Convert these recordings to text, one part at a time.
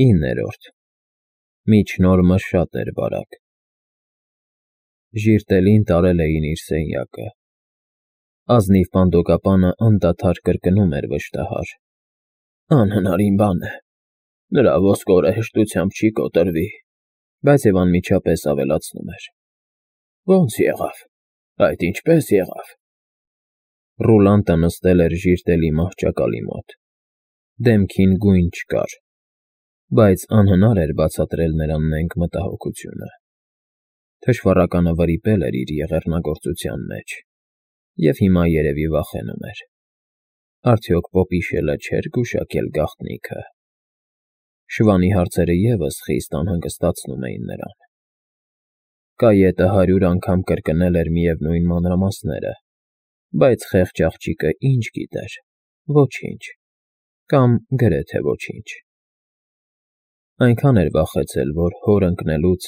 9-րդ Միջնորմը շատ էր բարակ։ Ժիրտելին տարել էին իր սենյակը։ Ազնիվ պանդոկապանը անդադար կրկնում էր վշտահար. «Անհնարին բան է, նրա ոսկորը հեշտությամբ չի կոտրվի», բայց և անմիջապես ավելացնում էր. «Ո՞նց եղավ, այդ ինչպե՞ս եղավ»։ Ռուլանտը նստել էր ժիրտելի մահճակալի մոտ։ Դեմքին գույն չկար, բայց անհնար էր բացատրել նրան նենգ մտահոգությունը։ Թշվառականը վրիպել էր իր եղեռնագործության մեջ, և հիմա երևի վախենում էր. արդյոք պոպիշելը չէր գուշակել գաղտնիքը։ Շվանի հարցերը ևս խիստ անհանգստացնում էին նրան։ Կայետը 100 անգամ կրկնել էր միևնույն մանրամասները, բայց խեղճ աղջիկը ինչ գիտեր, ոչինչ, կամ գրեթե ոչինչ։ Այնքան էր վախեցել, որ հոր ընկնելուց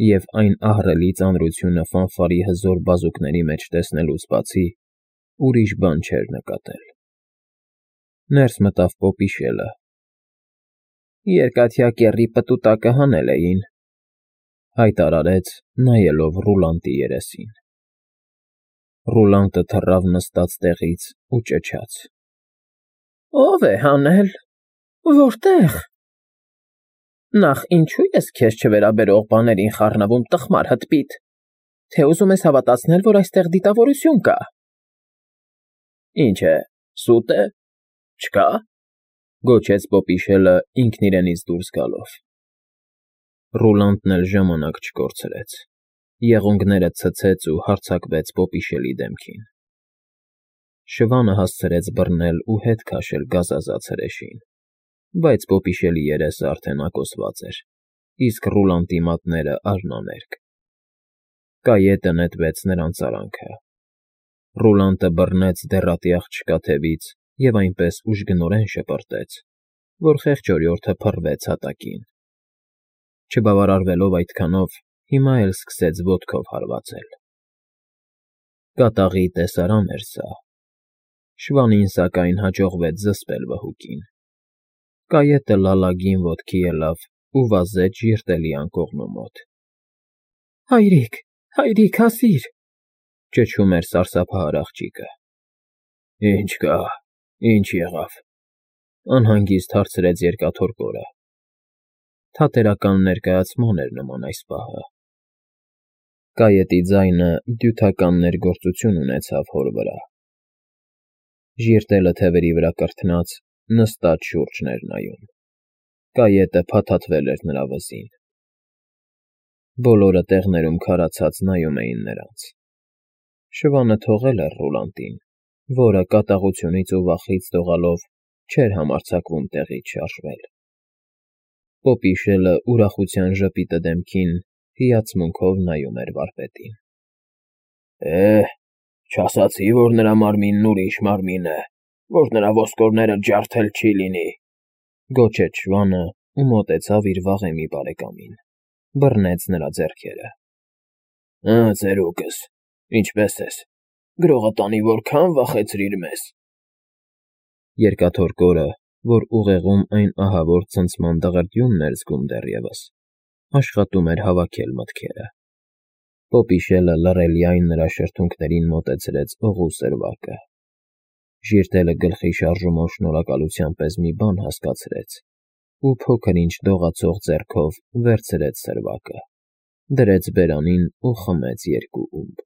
և այն ահռելի ծանրությունը ֆանֆարի հզոր բազուկների մեջ տեսնելուց բացի ուրիշ բան չէր նկատել։ Ներս մտավ պոպիշելը։ «Երկաթյա կեռի պտուտակը հանել էին», հայտարարեց, նայելով Ռուլանտի երեսին։ Ռուլանտը թռավ նստած տեղից ու ճչաց. «Ո՞վ է հանել, որտե՞ղ։ Նախ ինչո՞ւ ես քեզ չվերաբերող բաներին խառնվում, տխմար հտպիտ, թե ուզում ես հավատացնել, որ այստեղ դիտավորություն կա։ Ինչ է, սուտ է, չկա՞, գոչեց պոպիշելը ինքն իրենից դուրս գալով։ Ռուլանտն էլ ժամանակ չկորցրեց, եղունգները ցցեց ու հարձակվեց պոպիշելի դեմքին։ Շվանը հասցրեց բռնել ու հետ քաշել գազազած հրեշին, բայց պոպիշելի երեսը արդեն ակոսված էր, իսկ Ռուլանտի մատները արհնամերկ։ Կայետը նետվեց նրան ծարանքը։ Ռուլանտը բռնեց դեռատի աղջկա թևից և այնպես ուժգնորեն շպրտեց, որ խեղճորյորդը փռվեց հատակին։ Չբավարարվելով այդքանով, հիմա էլ սկսեց ոտքով հարվածել։ Կատաղի տեսարան էր սա։ Շվանին, սակայն, հաջողվեց զսպել վհուկին։ Կայետը լալագին ոտքի ելավ ու վազեց ժիրտելի անկողնու մոտ։ «Հայրիկ, հայրիկ, հասիր», ճչում էր սարսափահար աղջիկը։ «Ինչ կա, ինչ եղավ», անհանգիստ հարցրեց երկաթորկորը։ Թատերական ներկայացման էր նման այս պահը։ Կայետի ձայնը դյութական ներգործություն ունեցավ հոր վրա։ Ժիրտելը թևերի վրա կրթնած, նստած շուրջն էր նայում։ Կայետը փաթաթվել էր նրա վզին։ Բոլորը տեղներում քարացած նայում էին նրանց։ Շվանը թողել էր Ռուլանտին, որը կատաղությունից ու վախից դողալով չէր համարձակվում տեղից շարժվել։ Պոպիշելը ուրախության ժպիտը դեմքին հիացմունքով նայում էր վարպետին։ Չասացի, որ նրա մարմինն ուրիշ մարմին է, որ նրա ոսկորները ջարդել չի լինի, գոչեց շվանը ու մոտեցավ իր վաղեմի բարեկամին, բռնեց նրա ձեռքերը։ Ծերուկս, ինչպե՞ս ես, գրողատանի որքան վախեցրիր մեզ։ Երկաթորկորը, որ ուղեղում այն ահավոր ցնցման դղրդյունն էր զգում դեռևս, աշխատում էր հավաքել մտքերը։ Պոպիշելը լռելիայն նրա շրթունքներին մոտեցրեց օղու սրվակը։ Ժիրտելը գլխի շարժումով շնորհակալության պես մի բան հասկացրեց ու փոքր-ինչ դողացող ձեռքով վերցրեց սրվակը, դրեց բերանին ու խմեց 2 ումպ։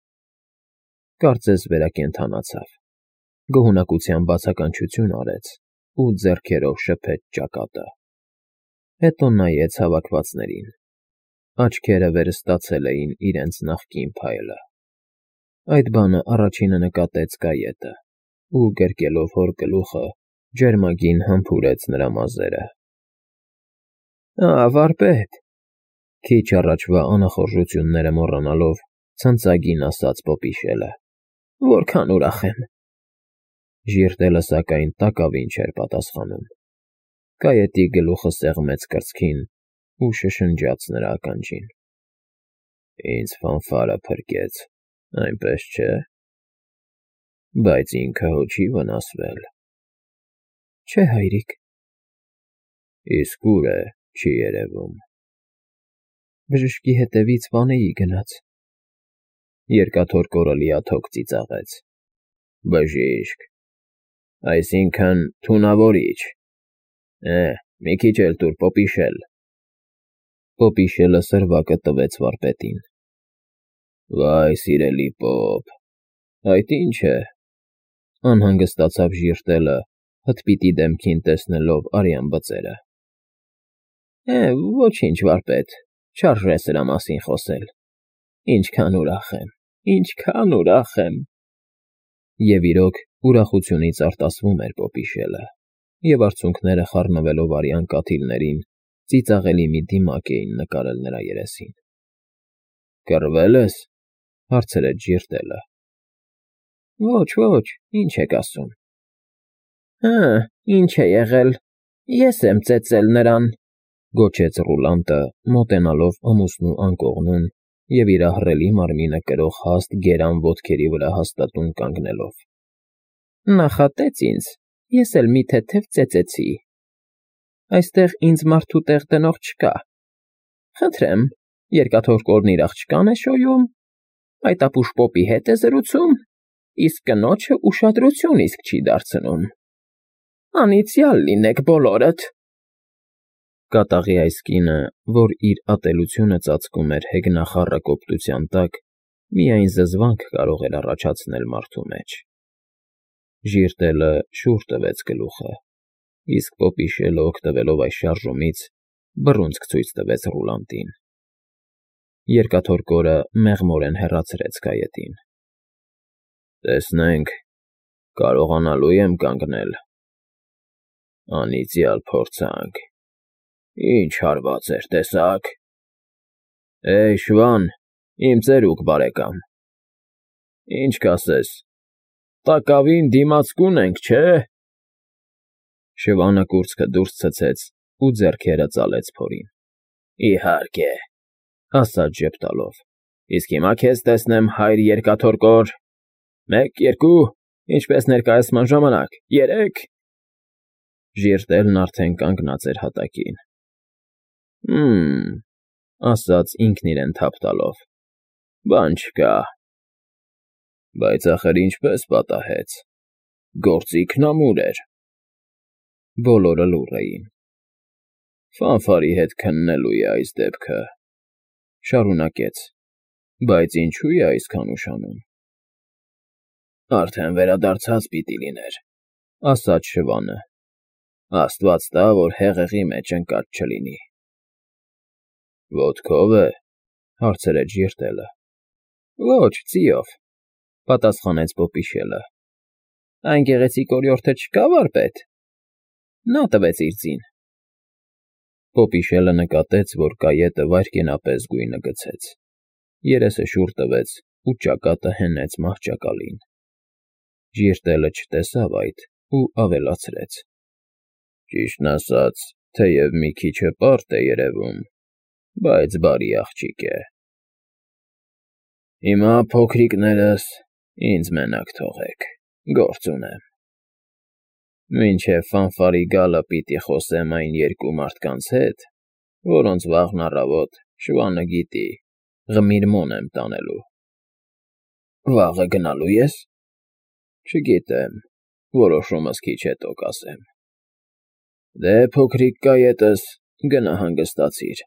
Կարծես վերակենդանացավ, գոհունակության բացականչություն արեց ու ձեռքերով շփեց ճակատը։ Հետո նայեց հավաքվածներին։ Աչքերը վերստացել էին իրենց նախկին փայլը։ Այդ բանը առաջինը նկատեց Կայետը ու, գրկելով հոր գլուխը, ջերմագին համբուրեց նրա մազերը։ Վարպետ, քիչ առաջվա անախորժությունները մոռանալով, ցնծագին ասաց պոպիշելը, որքան ուրախ եմ։ Ժիրտելը, սակայն, տակավին չէր պատասխանում։ Կայետի գլուխը սեղմեց կրծքին ու շշնջաց նրա ականջին. Ինձ ֆանֆարը փրկեց, այնպես չէ։ Բայց ինքը հո չի վնասվել։ Չէ, հայրիկ։ Իսկ ուր է Չի երևում։ Բժշկի հետևից Վանեի գնաց։ Երկաթոր կորը լիաթոք ծիծաղեց։ Բժիշկ, այսինքն թունավորիչ։ Մի քիչ էլ տուր պոպիշել։ Պոպիշելը սրվակը տվեց վարպետին։ Վայ, սիրելի պոպ, այդ ինչ է։ Անհանգստացավ ժիրտելը, հտպիտի դեմքին տեսնելով արյան բծերը։ Ոչինչ, վարպետ, չարժե սրա մասին խոսել։ Ինչքան ուրախ եմ։ Եվ իրոք ուրախությունից արտասվում էր պոպիշելը, և արցունքները խառնվելով արյան կաթիլներին, ծիծաղելի մի դիմակ էին նկարել նրա երեսին։ Կռվե՞լ ես, հարցրեց ժիրտելը։ Ոչ, ինչ եք ասում։ Ինչ է եղել, ես եմ ծեծել նրան, գոչեց Ռուլանտը, մոտենալով ամուսնու անկողնուն և իր ահռելի մարմինը կրող հաստ գերան ոտքերի վրա հաստատուն կանգնելով։ Նախատեց ինձ, ես էլ մի թեթև ծեծեցի։ Այստեղ ինձ մարդու տեղ դնող չկա։ Խնդրեմ, երկաթոր կորն իր աղջկան է շոյում, այդ ապուշ պոպի հետ է զրուցում, իսկ կնոջը ուշադրություն իսկ չի դարձնում։ Անիծյալ լինեք բոլորդ։ Կատաղի այս կինը, որ իր ատելությունը ծածկում էր հեգնախառը կոպտության տակ, միայն զզվանք կարող էր առաջացնել մարդու մեջ։ Ժիրտելը շուռ տվեց գլուխը, իսկ պոպիշելը օգտվելով այս շարժումից, բռունցք ցույց տվեց Ռուլանտին։ Երկաթոր կորը մեղմորեն հեռացրեց գայետին։ Տեսնենք, կարողանալու եմ կանգնել։ Անիծյալ փորձանք։ Ինչ հարված էր, տեսակ։ Շվան, իմ ծերուկ բարեկամ։ Ինչ կասես, տակավին դիմացկուն ենք, չէ՞։ Շվանը կուրծքը դուրս ցցեց ու ձեռքերը ծալեց փորին։ Իհարկե, ասաց ժպտալով։ Իսկ հիմա քեզ տեսնեմ, հայր երկաթոր կոր։ 1, 2, ինչպես ներկայացման ժամանակ, 3։ Ժիրտելն արդեն կանգնած էր հատակին։ Ասաց ինքն իրեն թափ տալով։ Բան չկա։ Բայց ախր ինչպես պատահեց։ Գործիքն ամուր էր։ Բոլորը լուռ էին։ Ֆանֆարի հետ քննելու է այս դեպքը, շարունակեց, բայց ինչու է այսքան ուշանում։ Արդեն վերադարձած պիտի լիներ, ասաց Շվանը։ Աստված տա, որ հեղեղի մեջ ընկած չլինի։ Ոտքով է, հարցրեց ժիրտելը։ Ոչ, ձիով, պատասխանեց պոպիշելը։ Այն գեղեցիկ օրիորդը չկա, վարպետ։ Նա տվեց իր ձին։ Պոպիշելը նկատեց, որ կայետը վայրկենապես գույնը գցեց։ Երեսը շուռ տվեց ու ճակատը հենեց մահճակալին։ Ժիրտելը չտեսավ այդ ու ավելացրեց. Ճիշտն ասած, թեև մի քիչ հպարտ է երևում, բայց բարի աղջիկ է։ Հիմա, փոքրիկներս, ինձ մենակ թողեք, գործ ունեմ։ Մինչև ֆանֆարի գալը պիտի խոսեմ այն երկու մարդկանց հետ, որոնց վաղն առավոտ Շվանը գիտի, Ղմիրմոն եմ տանելու։ Վաղը գնալու ես։ Չգիտեմ, որոշումս քիչ հետո կասեմ։ Դե, փոքրիկ կայետս, գնա հանգստացիր։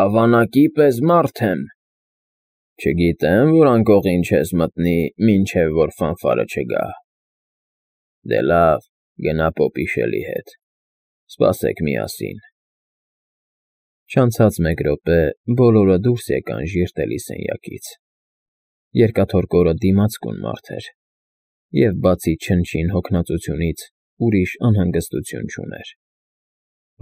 Ավանակի պես մարդ եմ։ Չգիտեմ, որ անկողին չես մտնի, մինչև որ ֆանֆարը չգա։ Դե լավ, գնա պոպիշելի հետ։ Սպասեք միասին։ Չանցած 1 րոպե բոլորը դուրս եկան ժիրտելի սենյակից։ Երկաթոր կորը դիմացկուն մարդ էր, և բացի չնչին հոգնածությունից ուրիշ անհանգստություն չուներ։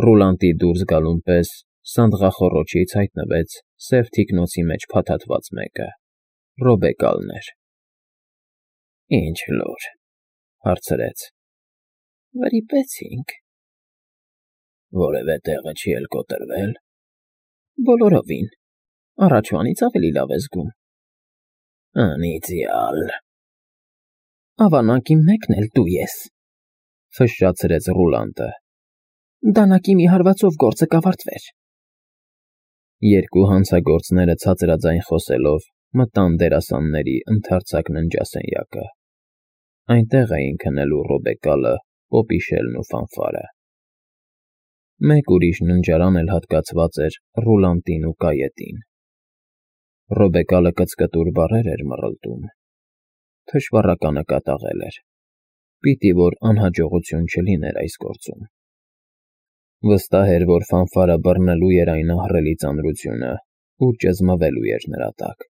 Ռուլանտի դուրս գալուն պես սանդղախոռոչից հայտնվեց սև թիկնոցի մեջ փաթաթված մեկը, Ռոբեկալն էր։ Ինչ լուր, հարցրեց։ Վրիպեցինք։ Որևէ տեղը չի էլ կոտրվել։ Բոլորովին, առաջվանից ավելի լավ է զգում։ Անիծյալ։ Ավանակի մեկն էլ դու ես, ֆշշացրեց Ռուլանտը։ Դանակի մի հարվածով գործը կավարտվեր։ Երկու հանցագործները ցածրաձայն խոսելով մտան դերասանների ընդարձակ ննջասենյակը։ Այնտեղ էին քնելու Ռոբեկալը, Պոպիշելն ու Ֆանֆարը։ Մեկ ուրիշ ննջարան էլ հատկացված էր Ռուլանտին ու Կայետին։ Ռոբեկալը կծկտուր բառեր էր մռլտում։ Թշվառականը կատաղել էր։ Պիտի որ անհաջողություն չլիներ այս գործում։ Վստահ էր, որ Ֆանֆարը բռնելու էր այն ահռելի ծանրությունը, ու ճզմվելու էր նրա տակ։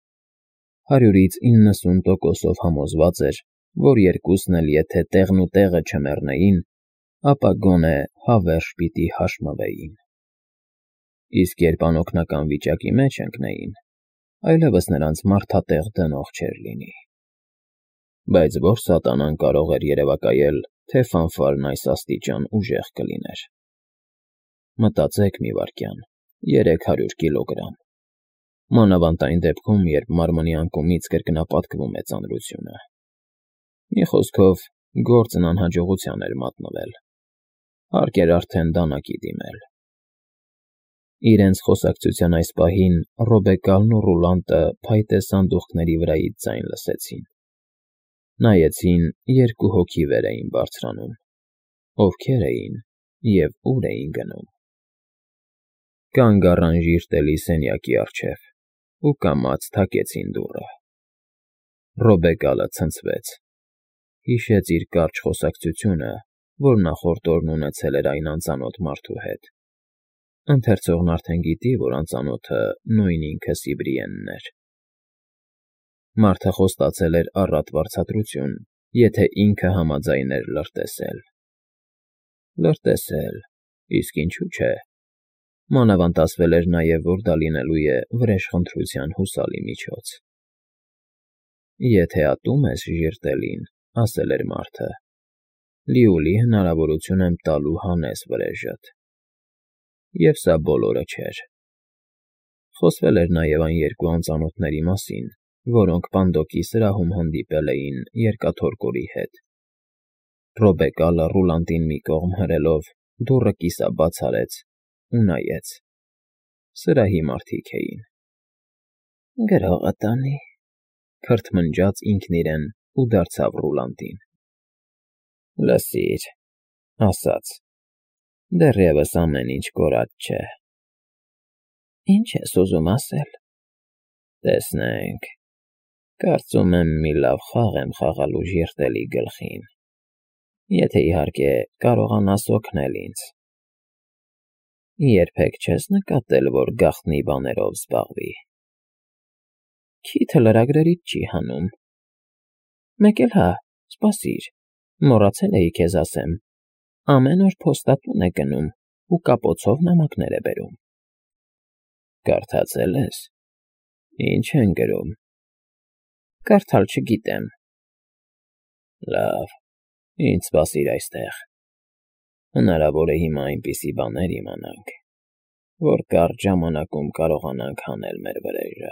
100-ից 90% համոզված էր, որ երկուսն էլ եթե տեղն ու տեղը չմեռնեին, ապա գոնե հավերժ պիտի հաշմվեին։ Իսկ երբ անօգնական վիճակի մեջ ընկնեին, այլևս նրանց մարդատեղ դնող չէր լինի։ Բայց ո՞ր սատանան կարող էր երևակայել, թե Ֆանֆարն այս աստիճան ուժեղ կլիներ։ Մտածեք մի վայրկյան, 300 կիլոգրամ։ Մանավանդ այն դեպքում, երբ մարմնի անկումից կրկնապատկվում է ծանրությունը։ Մի խոսքով, գործն անհաջողության էր մատնվել։ Հարկ էր արդեն դանակի դիմել։ Իրենց խոսակցության այս պահին Ռոբեկալն ու Ռուլանտը փայտե սանդուղքների վրայից ձայն լսեցին։ Նայեցին, երկու հոգի վեր էին բարձրանում։ Ովքեր էին և ուր էին գնում։ Կանգ առան ժիրտելի սենյակի առջև ու կամաց թակեցին դուռը։ Ռոբեկալը ցնցվեց։ Հիշեց իր կարճ խոսակցությունը, որ նախորդ օրն ունեցել էր այն անծանոթ մարդու հետ։ Ընթերցողն արդեն գիտի, որ անծանոթը նույն ինքը Սիբրիենն էր։ Մարդը խոստացել էր առատ վարձատրություն, եթե ինքը համաձայն էր լրտեսել։ Լրտեսել, իսկ ինչու՞ չէ։ Մանավանդ ասվել էր նաև, որ դա լինելու է վրեժխնդրության հուսալի միջոց։ Եթե ատում ես ժիրտելին, ասել էր մարդը, լիուլի հնարավորություն եմ տալու հանես վրեժդ։ Եվ սա բոլորը չէր։ Խոսվել էր նաև այն երկու անծանոթների մասին, որոնք Պանդոկի սրահում հանդիպել էին երկաթորկորի հետ։ Ռոբեկալը Ռուլանտին մի կողմ հրելով դուռը կիսաբաց արեց ու նայեց։ Սրահի մարդիկ էին։ «Գրողը տանի», քրթմնջաց ինքն իրեն ու դարձավ Ռուլանտին։ «Լսիր», ասաց, «դեռևս ամեն ինչ կորած չէ»։ «Ինչ ես ուզում ասել»։ «Տեսնենք, կարծում եմ մի լավ խաղ եմ խաղալու ժիրտելի գլխին, եթե իհարկե կարողանաս օգնել ինձ։ Երբեք չես նկատել, որ գաղտնի բաներով զբաղվի։ Քիթը լրագրերից չի հանում։ Մեկ էլ հա, սպասիր, մոռացել էի քեզ ասեմ, ամեն օր փոստատուն է գնում ու կապոցով նամակներ է բերում։ Կարդացել ես։ Ինչ են գրում։ Կարդալ չգիտեմ։ Լավ, ինձ սպասիր այստեղ։ Հնարավոր է հիմա այնպիսի բաներ իմանանք, որ կարճ ժամանակում կարողանանք հանել մեր վրեժը»։